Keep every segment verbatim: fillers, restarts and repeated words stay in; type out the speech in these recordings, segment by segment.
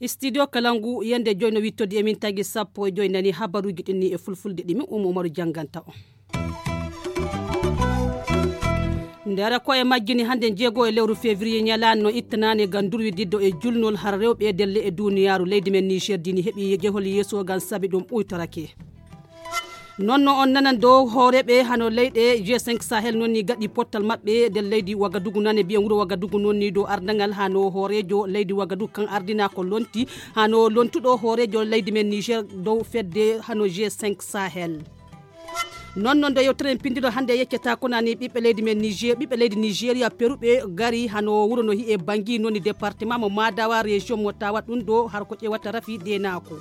Studio Kalangu, yande joy no wittodi emin tagi sappo e joy nani habaruji ɗinni e fulfulde ɗimi Umu Umaru janganta on. Ndera ko e majjini hande jeego e lewru février ñalaande no ittanani gam durwi diddo e julnol har rewɓe e delle e duniyaaru. Leydi men Niger dini heɓi jehol yeeso gam sabi ɗum ɓuytorake. Non no on nanan dow hooreɓe hano leyɗe G cinq Sahel non ni gaɗi pottal maɓɓe nder leydi Wagadugu nane biyen wuro Wagadugu non ni dow ardangal hano hoorejo leydi Wagadugu kan ardina ko lonti hano lontuɗo hoorejo leydi men Niger dow fedde hano G cinq Sahel. Non non do yewtere en pindiro hande yeccata konani ɓiɓɓe leydi men Niger ɓiɓɓe leydi Nigeria peruɓe gari hano wuro no hi'e Bangi non ni département mo Madawa région mo Tawa ɗum ɗo har ko ƴewata rafi denako.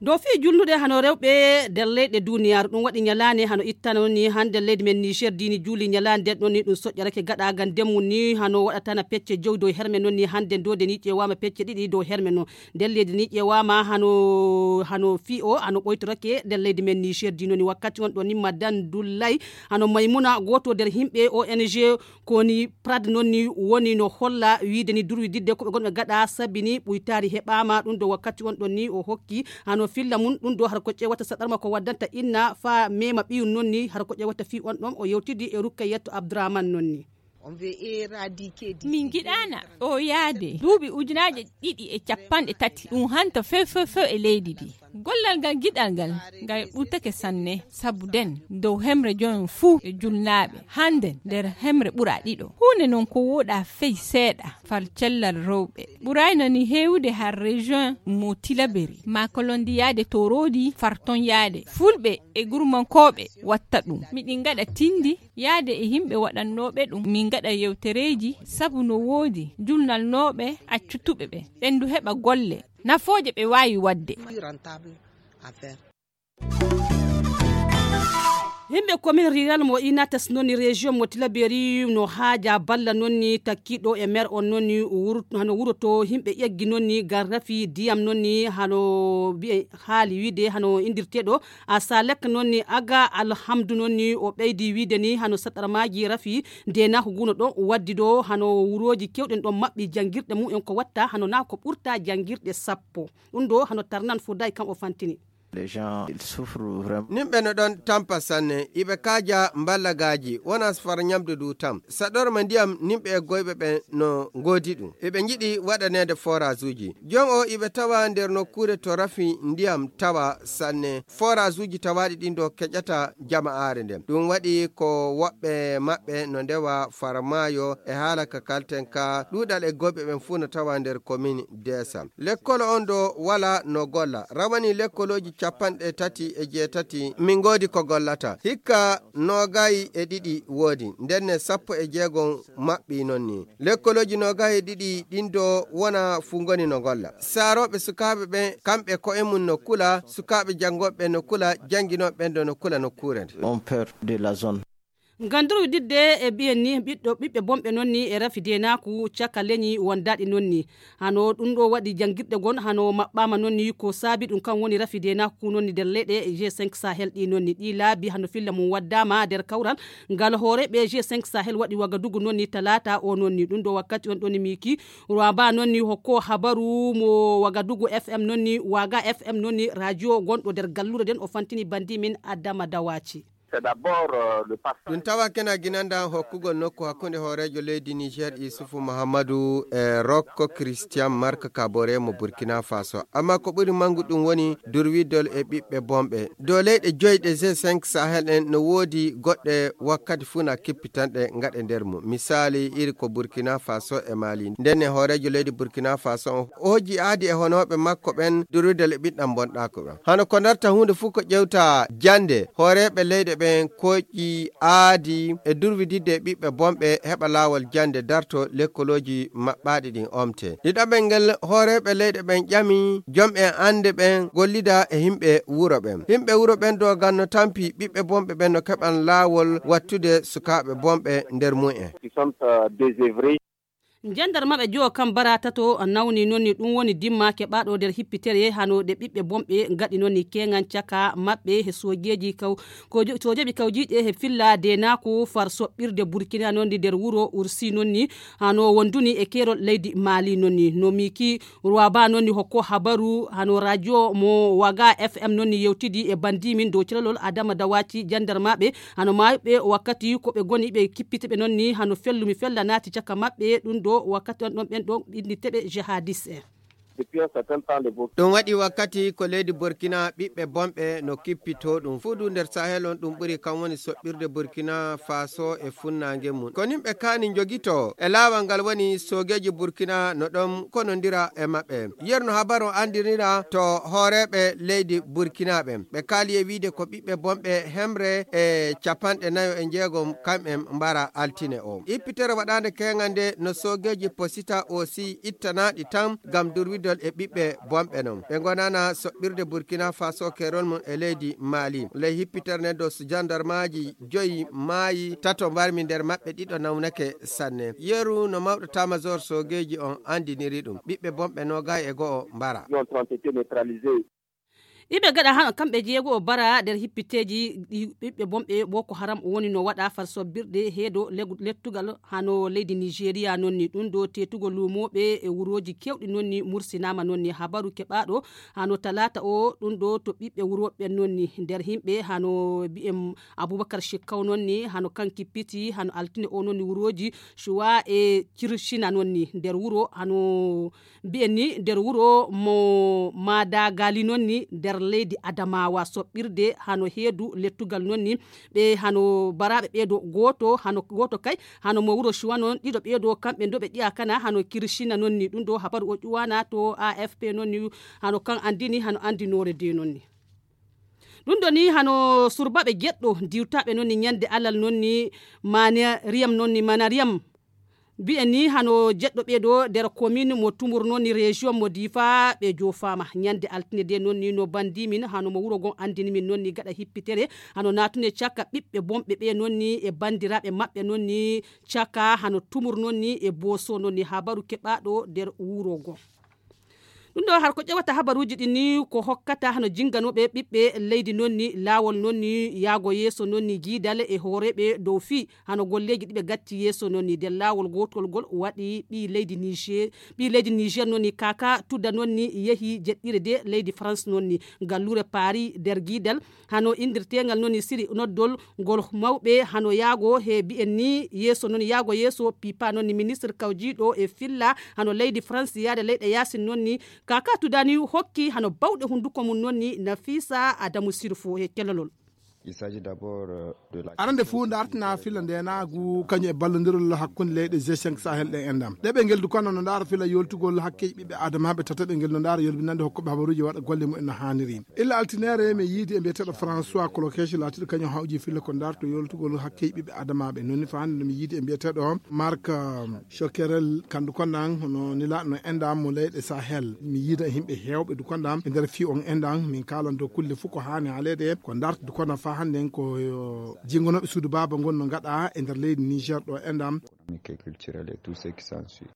Dow fii julnude hano rewɓe nder leyɗe duniyaaru ɗum waɗi ñalaande hano ittano ni hande leydi men Niger dini juuli ñalaande nden ɗon ni ɗum soƴƴarake gaɗagal ndemmu ni hano waɗatana pecce jowi dow herme non ni hande ndode ni ƴewaama pecce ɗiɗi dow herme non nder leydi ni ƴewaama hano hano fii o hano ɓoytorake nder leydi men Niger dino ni wakkati on ɗon ni madan dullay hano maymuna goto nder himɓe O N G ko ni prad non ni woni no holla wiide ni durwi didde ko ɓe gonɓe gaɗa sabi ni ɓuytaari heɓaama ɗum ɗo wakkati on ɗon ni o hokki hano filla mum ɗum ɗo har ko ƴewata saɗarma ko waddanta inna fa mema ɓiyum non ni har ko ƴewata fi on ɗon o yewtidi e rukkayetto abdourahman non ni. Min giɗaana ɗo yaade duuɓi ujunaaje ɗiɗi e capanɗe tati ɗum hanta few few few e leydi ndi. Gollal ngal giɗal ngal ngal ɓurtake sanne sabu den dow hemre joyon fuu e julnaaɓe hannden nder hemre ɓura ɗiɗo. Huunde non ko wooɗa fey seeɗa fal cellal rewɓe ɓurayno ni heewude har région mo tilaberi makolondiyaade toroodi fartonyaade fulɓe e gurmankooɓe watta ɗum miɗin ngaɗa tindi yaade e yimɓe waɗannooɓe ɗum min ngaɗa yewtereeji sabu no woodi julnalnooɓe accutuɓe ɓe ɓen du heɓa golle nafooje ɓe waawi waɗde. Himɓe commune rural mo inatas nonni région mo tilaberi no haaja balla nonni takkiɗo e maire on nonni hano wuroto himɓe eggi nonni gar rafi diyam nonni hano mbiye haali wiide hano indirteɗo a salek nonni aga alhamdu nonni o ɓeydi wiide ni hano saɗarmaji rafi ndenako guno ɗon waddi ɗo hano wuroji kewɗen ɗon maɓɓi jangirɗe mumen ko watta hano na ko ɓurta jangirɗe sappo ɗum ɗo hano tarnan fo day kan o fantini. Nimɓe no ɗon tampa sanne iɓe kaaja mballagaaji wona sfar ñamdu du tam saɗorma ndiyam nimɓe e goyɓe ɓe no ngoodi ɗum iɓe njiɗi waɗaneede forage uji jon o iɓe tawa nder nokkuure to rafi ndiyam tawa sanne forage uji tawaaɗi ɗin ɗo keƴata jama'aare nden ɗum waɗi ko woɓɓe maɓɓe no ndewa farmaayo e haala ka kalten ka ɗuuɗal e goyɓe ɓen fuu no tawa nder commune desa lekkol on ɗo wala no golla rawani lekkolooji capanɗe tati e jeetati min ngoodi ko gollata hikka noogay e ɗiɗi woodi ndenne sappo e jeegom maɓɓi non ni lekkolooji noogay e ɗiɗi ɗin ɗo wona fuu ngoni no golla saarooɓe sukaaɓe ɓen kamɓe ko'e mum no kula sukaaɓe janngooɓe ɓen no kula jannginooɓe ɓen ɗo no kula nokkuure nde. Ngam nder wiɗitde e mbiyen ni ɓiɗɗo ɓiɓɓe bonɓe noon ni e rafi deenaaku caka leñi wondaaɗi noon ni. Hano ɗum ɗo waɗi janngirɗe gon hano maɓɓaama noon ni ko saabi ɗum kan woni rafi deenaaku noon ni nder leyɗe G cinq Sahel ɗi noon ni ɗi laabi hano filla mum waddaama nder kawral ngal hooreeɓe G cinq Sahel waɗi Wagadugu noon ni talaata o noon ni ɗum ɗo wakkati on ɗon ni miiki Rwaba noon ni hokko habaru mo Wagadugu F M noon ni Waga F M noon ni radio gonɗo nder gallure nden o fantini bandi min Adama Dawaci. Ɗum tawa kena ginanda hokkugol nokku hakkunde hooreejo leydi Niger Isufu Muhammadu e Rokko Christian Mark Kabore mo Burkina Faso. Amma ko ɓuri mangu ɗum woni durwidol e ɓiɓɓe bonɓe. Dow leyɗe joyi ɗe G cinq Sahel en no woodi goɗɗe wakkati fuu na kippitanɗe ngaɗe nder mum. Misaali iri ko Burkina Faso e Mali. Ndenne hooreejo leydi Burkina Faso on o hojji aadi e honooɓe makko ɓen durwidol e ɓiɗɗam bonɗaako ɓen. Hano ko darta huunde fuu ko ƴewta jannde, hooreeɓe leyɗe ɓen koƴƴi aadi e durwididde e ɓiɓɓe bonɓe heɓa laawol jannde darto lekkolooji maɓɓaaɗi ɗin omte. Ɗiɗaɓel ngel, hooreeɓe leyɗe ɓen ƴami jom'en annde ɓen gollida e himɓe wuro ɓen. Himɓe wuro ɓen doogan no tampi ɓiɓɓe bonɓe ɓen no keɓan laawol wattude sukaaɓe bonɓe nder mum'en. Jandarmaɓe jowo kam bara tato nawni noon ni ɗum woni dimma keɓaaɗo nder hippitere hano ɗe ɓiɓɓe bonɓe ngaɗi noon ni keeŋan caka maɓɓe he soojeeji kaw soojeeɓe kawjiiɗe he filla deenaaku far soɓɓirde burkina noon ni nder wuro ursi noon ni hano wonduni e keerol leydi maali noon ni no miki ruwaba noon ni hokko habaru hano radio mo waga fm noon ni yewtidi e bandimin dow calalol adama dawaci jandarmaɓe hano maayuɓe wakkati ko ɓe goni ɓe kippita ɓe noon ni hano fellumi fella naati caka maɓɓe ɗum ɗo wakkati on ɗon ɓen ɗon inniteɓe jihadis en. Ɗum waɗi wakkati ko leydi Burkina ɓiɓɓe bonɓe no kippitoo ɗum fuu du nder Sahel on ɗum ɓuri kam woni soɓɓirde Burkina Faso e funnaange mum. Ko nin ɓe kaani njogitoo e laawal ngal woni soogeeji Burkina no ɗon konondira e maɓɓe. Yerno habaru on anndinira to hooreeɓe leydi Burkina ɓen. Ɓe kaali e wiide ko ɓiɓɓe bonɓe hemre e capanɗe nayo e njeegom kamɓen mbara altine o. Ippitere waɗaande keeŋal nde no soogeeji posita aussi ittanaaɗi tan ngam durwidol e ɓiɓɓe bonɓe non. Ɓe ngonana soɓɓirde Burkina Faso keerol mum e leydi Mali. Ley hippitere nden dos jandarmaaji joyi maayi, tato mbarmi nder maɓɓe ɗiɗo nawnake sanne. Yeru no mawɗo tamajor soogeeji on anndiniri ɗum. Ɓiɓɓe bonɓe noogay e go'o mbara. Iɓe gaɗa hano kamɓe jeego o bara nder hippiteeji ɗi ɓiɓɓe bonɓe Boko Haram woni no waɗa far sobbirde heedo legu- lettugal hano leydi Nigeria nonni ɗum ɗo teetugol luumooɓe e wurooji keewɗi nonni mursinaama nonni habaru keɓaaɗo hano talaata o ɗum ɗo to ɓiɓɓe wurooɓe nonni nder himɓe hano mbi'en Abubakar Shekau nonni hano kan kippiti hano altine o nonni wurooji Shuwa e Kirshina nonni nder wuro hano mbi'en ni nder wuro mo madagali noon ni nder leydi adamawa soɓɓirde hano heedu lettugal noon ni ɓe hano baraɓe ɓeedo gooto hano gooto kay hano mo wuro chuwa noon ɗiɗo ɓeedo kamɓe ndo ɓe ƴiya kana hano kirishina noon ni ɗum ɗo habaru o ƴuwana to afp noon ni hano kan anndini hano anndinoore de noon ni ɗum ɗo ni hano surbaɓe jeɗɗo diwtaɓe noon ni ñande alal noon ni manariyam noon ni manariyam mbiyen ni hano jeɗɗo ɓeeɗo nder commune mo tumur noon ni région mo difa ɓe jofaama ñande altine de noon ni no bandi min hano mo wuro gon anndini min noon ni gaɗa hippitere hano naatune caka ɓiɓɓe bonɓe ɓe noon ni e banndiraaɓe maɓɓe noon ni caka hano tumur noon ni e boso noon ni habaru keɓaaɗo nder wuro gon ɗum ɗo har ko ƴewata habaruuji ɗin ni ko hokkata hano jinganooɓe ɓiɓɓe leydi noon ni laawol noon ni yaago yeeso noon ni giidal e hooreeɓe dow fii hano golleeji ɗiɓe gatti yeeso noon ni nder laawol gootol ngol waɗi ɓii leydi niger ɓii leydi niger noon ni kaka tudda noon ni yehi jeɗɗire de leydi france noon ni galluure paris nder giidal hano inndirteengal noon ni siri noddol ngol mawɓe hano yaago he mbiyen ni yeeso noon yaago yeeso pipa noon ni ministre kawjiiɗo e filla hano leydi france yaade leyɗe yaasin noon ni kaka tudani hokki hano bawɗe hunnduko mum noon ni nafisa adamu sirfo he kelolol arande fof dartina fila ndenaagu kañum e ballondirol hakkunde leyɗe g cinq sahel ɗe endam ɗeɓe ngel dukano no ndaara fila yoltugol hakkeji ɓiɓɓe adamaɓe tataɓe ngel no ndaara yolbinande hokkoɓe habaruji waɗa golle mumen no haniri illa altinere mi yiidi e mbiyeteɗo françois colokeche laatiɗo kañum hawji fila ko darto yoltugol hakkeji ɓiɓɓe adamaɓe noni fande no mi yiidi e mbiyeteɗo marc chokerel kandu kondan hono nilaɗo no endam mo leyɗe sahel mi yiida e yimɓe hewɓe du kondan e nder fi on endan min kalan dow kulle fof ko hani haalede ko darto du kondan fa hande en ko jingonoɓe suudu baba ngon no gaɗa e nder leydi niger ɗo endam économique et culturel et tout ce qui s'ensuit.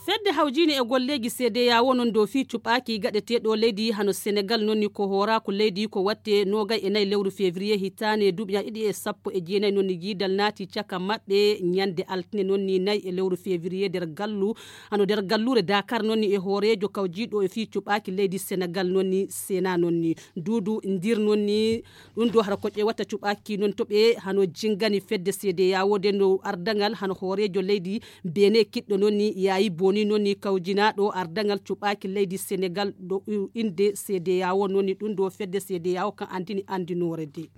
fedde hawjini e golleeji cda o non dow fii cuɓaaki gaɗeteeɗo leydi hano senegal nonni ko hooraako leydi ko watte noogay e nayi lewru février hitaane duuɓi ñaɗi ɗiɗi e sappo e jeenayi nonni giidal naati caka maɓɓe ñande altine nonni nayi e lewru février nder gallu hano nder galluure dakar nonni e hooreejo kawjiiɗo e fii cuɓaaki leydi senegal nonni sena nonni duudu ndir nonni ɗum ɗo hara ko ƴewata cuɓaaki noon to ɓe hano jingani fedde cda wode no ardagal hano hooreejo leydi bene kiɗɗo noon ni yaayi boni noon ni kawjinaaɗo ardagal cuɓaaki leydi senegal ɗo innde cda o noon ni ɗum ɗo fedde cda o kan anndini anndinoore de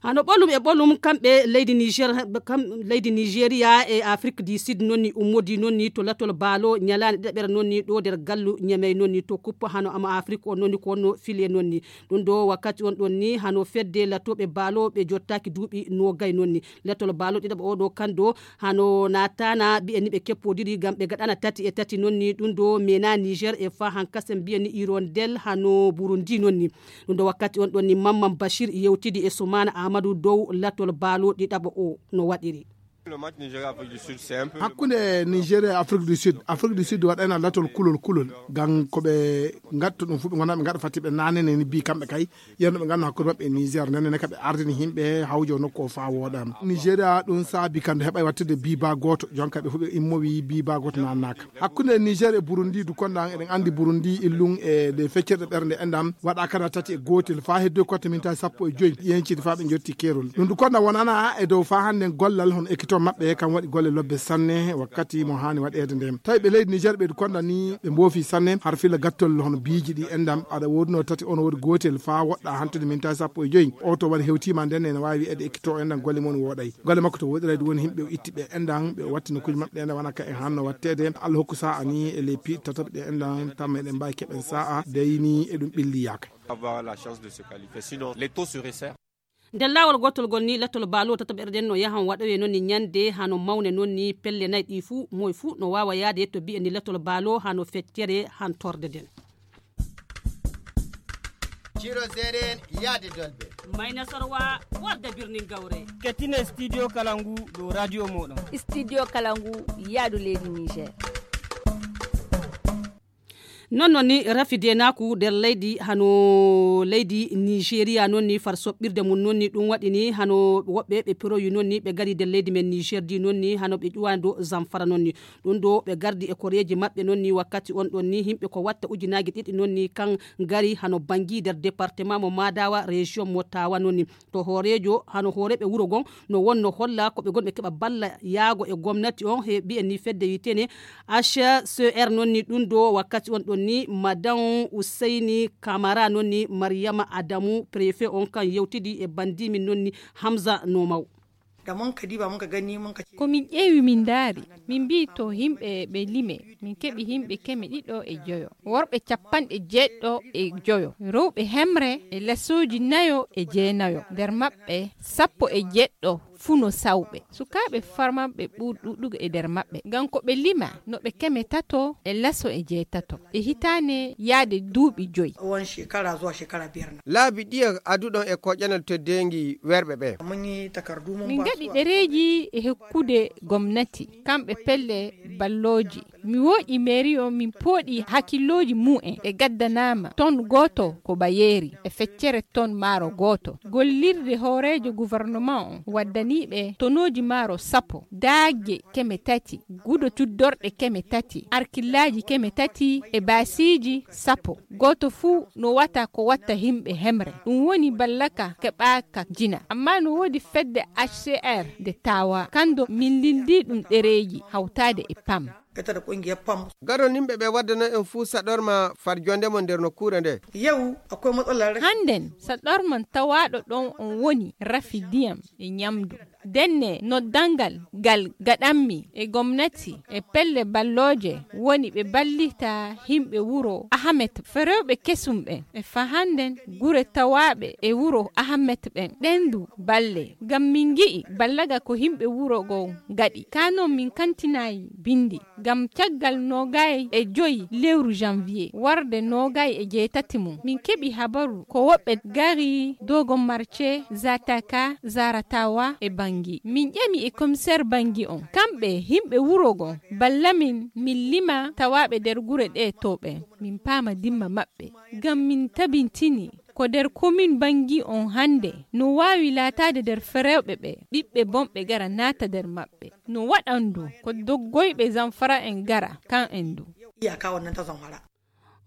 hano ɓolum e ɓolum kamɓe leydi niger kam leydi nigeria e afrique du sud noon ni ummodi noon ni to latol baalo ñalaande ɗeɓere noon ni ɗo nder gallu ñamey noon ni to kuppa hano ama afrique o noon ni ko wonno file noon ni ɗum ɗo wakkati on ɗon ni hano fedde latoɓe baalo ɓe jottaaki duuɓi nogay noon ni latol baalo ɗiɗaɓo oɗo kan ɗo hano natana mbiyen ni ɓe keppodiri ngam ɓe gaɗana tati e tati noon ni ɗum ɗo mena niger e fa hankasen mbiyen ni irondel hano burundi noon ni ɗum ɗo wakkati on ɗon ni mamman bashir yewtidi e sumana amadou dow latol baalo ɗiɗaɓo o no waɗiri Hakkunde Nigeria e Afrique du Sud, Afrique du Sud waɗayna latol kulol kulol, ngam ko ɓe ngatta ɗum fu, ɓe ngona ɓe ngaɗa fatti ɓe nanene ni bi kamɓe kay, yerno ɓe nganno hakkunde maɓɓe e Niger, nene ne ka ɓe ardini himɓe hawjo nokku o fa woɗama. Nigeria ɗum saabi kande heɓay wattude biba goto, jonka ɓe fu ɓe immowi biba goto nannaka. Hakkunde Niger e Burundi du konda eɗen andi Burundi illum e ɗe feccirɗe ɓernde endam waɗa kana tati e gotel fa heddo kotte mintaji sappo e joyi yencide fa ɓe jotti kerol. Ɗum du konda wonana e dow fa hande gollal hono ekito maɓɓe kam waɗi golle lobbe sanne wakkati mo hani waɗede nde. Tawi ɓe leydi Niger ɓe du konda ni ɓe mbofi sanne har fila gattol hono biiji ɗi endam aɗa woduno tati on wodi gotel fa woɗɗa hantude mintaji sappo e joyi. O to waɗi hewtima nden ene wawi wi'ede ekito endam golle mon woɗay. Golle makko to woɗirayde woni himɓe o itti ɓe endan ɓe o watti nokkuji maɓɓe ɗe nde wona ka e hanno wattede. Allah hokku sa'a ni e leypi tataɓe ɗe endan tamma eɗen mbawi keɓen sa'a deyni e ɗum ɓilli yaka. Avoir la chance de se qualifier. Sinon, les taux se resserrent. Nder laawol gootol ngol ni, lettol baalo tataɓere nden no yahan waɗoye noon ni ñande hano mawne noon ni pelle nayi ɗi fuu, moye fuu no waawa yaade to bi'e ni lettol baalo hano feccere hantorde nden. Ciro Zeren yaade Dolbe. Mayna Sorwa warde birnin Gawre. Kettine Studio Kalangu dow radio mooɗon. Studio Kalangu yaadu leydi Niger. Noon noon ni rafi deenaaku nder leydi hano leydi Nigeria noon ni far soɓɓirde mum noon ni ɗum waɗi ni hano woɓɓe ɓe piroyi noon ni ɓe ngari nder leydi men Niger di noon ni hano ɓe ƴuwani dow Zamfara noon ni. Ɗum ɗo ɓe gardi e koreeji maɓɓe noon ni wakkati on ɗon ni yimɓe ko watta ujunaaji ɗiɗi noon ni kan ngari hano Bangi nder département mo Madawa, région mo Tawa noon ni. To hooreejo hano hooreeɓe wuro gon no wonno holla ko ɓe gon ɓe keɓa balla yaago e gomnati on he mbiyen ni fedde wi'eteene H C R noon ni ɗum ɗo wakkati on ɗon ni Madan Useyni Kamara noon ni Mariyama Adamu préfet on kan yewtidi e bandimin noon ni Hamza Nomaw. Da mun ka diba mun ka gani mun ka ce. Ko min ƴeewi min ndaari, min mbii to yimɓe ɓe lime, min keɓi yimɓe keme ɗiɗo e joyo, worɓe capanɗe jeeɗiɗo e joyo, rewɓe hemre e lesooji nayo e jeenayo, nder maɓɓe sappo e jeeɗiɗo fuu no sawɓe. Sukaaɓe farmanɓe ɓuri ɗuuɗugo e nder maɓɓe, ngam ko ɓe lima no ɓe keme tato e leso e jeetato e hitaane yaade duuɓi joyi. Tsawon shekara zuwa shekara biyar na. Laabi ɗiya aduɗon e koƴanal teddeengi werɓe ɓe. Mun yi takardu mun. Min ba gaɗi su ɗereeji e hokkude gomnati, kamɓe pelle ballooji. Mi woƴi mairie on, min pooɗi hakkillooji mu'en. Ɓe gaddanaama ton gooto ko Bayeeri e feccere ton maaro gooto. Gollirde hooreejo gouvernement on waddanii ɓe tonooji maaro sappo, daagge keme tati, gudo cuddorɗe keme tati, arkillaaji keme tati e baasiiji sappo. Gooto fuu no wata ko watta yimɓe hemre. Ɗum woni ballaka keɓaaka jina. Amma no woodi fedde H C R nde Tawa. Kando min lildi ɗum ɗereeji hawtaade e pam. Ita da ƙungiyar pam. Gadon yimɓe ɓe waddana en fuu saɗorma far jonde mon nder nokkuure nde. Yau akwai matsalar rashin. Hannden saɗorman tawaaɗo ɗon on woni rafi ndiyam e ñamdu. Denne noddangal ngal gaɗanmi e gomnati e pelle ballooje woni ɓe ballita yimɓe wuro Ahamet. Ferewɓe kesum ɓen e fahannden gure tawaaɓe e wuro Ahamet ɓen. Ɗen du balle. Ngam min ngi'i ballaga ko yimɓe wuro goo ngaɗi. Kaa non min kantinaay binndi. Ngam caggal noogay e joy lewru janvier warde noogay e jeetati mum, min keɓi habaru ko woɓɓe gari Dogon Marce, Zataka, Zaratawa e Bangi. Min ƴami e commissaire Bangi on, kamɓe yimɓe wuro gon, balla min, min lima tawaaɓe nder gure ɗe to ɓen, min paama dimma maɓɓe. Ngam min tabintini ko nder komin Bangi on hannde no waawi laataade nder ferewɓe ɓe, ɓiɓɓe bonɓe gara naata nder maɓɓe. No waɗan du ko doggoyɓe Zamfara en gara kan en du. Iyaka wannan ta Zamfara.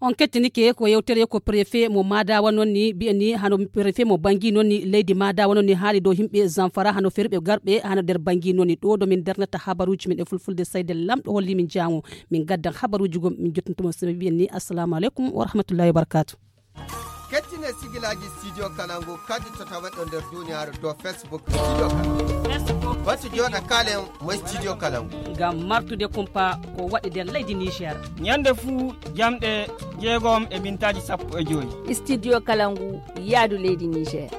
On kettinike ko yewtere ko préfet mo Madawa noon ni mbiyen ni hano préfet mo Bangi noon ni leydi Madawa noon ni haali dow yimɓe Zamfara hano ferɓe garɓe hano nder Bangi noon ni ɗo ɗo min darnata habaruuji men e fulfulde sayde lamɗo holli min jaango min gaddan habaruuji gom min jottintumo sebe mbiyen ni assalamu aleykum wa rahmatullahi wa barakatuh. Kettine sigilaaji Studio Kalangu kadi to tawaɗo nder duniyaaru dow Facebook Studio Kalangu. Batu jooɗa kaalen mo Studio Kalangu. Ngam martude kumpa ko waɗi nder leydi Niger. Ñande fuu jamɗe jeegom e mintaaji sappo e joy. Studio Kalangu yaadu leydi Niger.